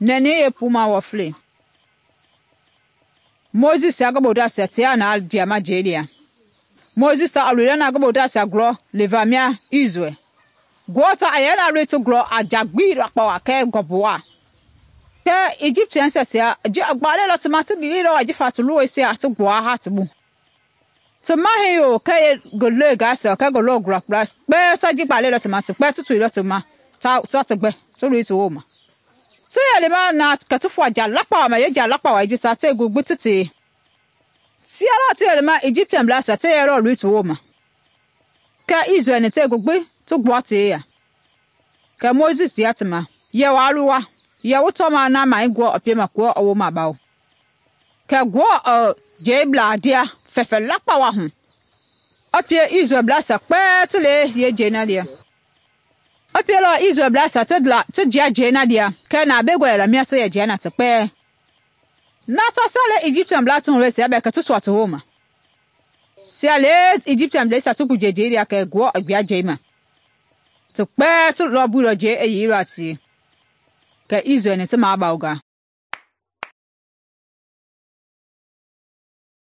nɛni yeepuma wɔfle. Moses a ngi bodasia tia na diama jelia. Moses a loilɔ na ngi bodasia glɔ levamia Israel. Gota a yɛ na loi ti glɔ a jagbi lakpawa kɛ gɔbuwa. Kɛ Egyptiansia gbaalɛ lɔ ti ma ti lilɔ ajifa ti luwɔisia ti gbua ha ti bu. Ti mahi yo kɛ ngi lei gasia kɛ ngi lɔ gblakpla kpɛɛ ta ji gbaalɛ lɔ ti ma ti kpɛɛ ti tuilɔ ti ma ta ti gbɛ ti loi ti woma. Ti yɛ lema na kɛ ti fua ja lakpawa ma ye ja lakpawa ji ta te gugbi ti te. Tia la ti yɛ lema Egyptian blasia ti yɛ lɔ loi ti woma. Kɛ Israel ni te gugbi ti gbua te ya. Kɛ Moses tia ti ma, yɛ waa luwa, yɛ wu tɔma na mai guɔ a piema kuɔ a woma bawo. Kɛ guɔ je bla dia fɛfɛ lakpawa hu. A pie Israel blasia kpɛɛ ti le ye je na lia. A pie lɔ Israel blasia ti jia je na lia, kɛ na be gɔ la mia ti yɛ jia na ti kpɛɛ. Na ta sa le Egyptian bla ti hu sia bɛ kɛ ti tua ti woma. Sia le Egyptian blasia ti guje je lia kɛ guɔ a gbia je ma. Ti kpɛɛ ti lɔ builɔ je e yi lɔ tie. Kɛ Israel ni ti ma bauga.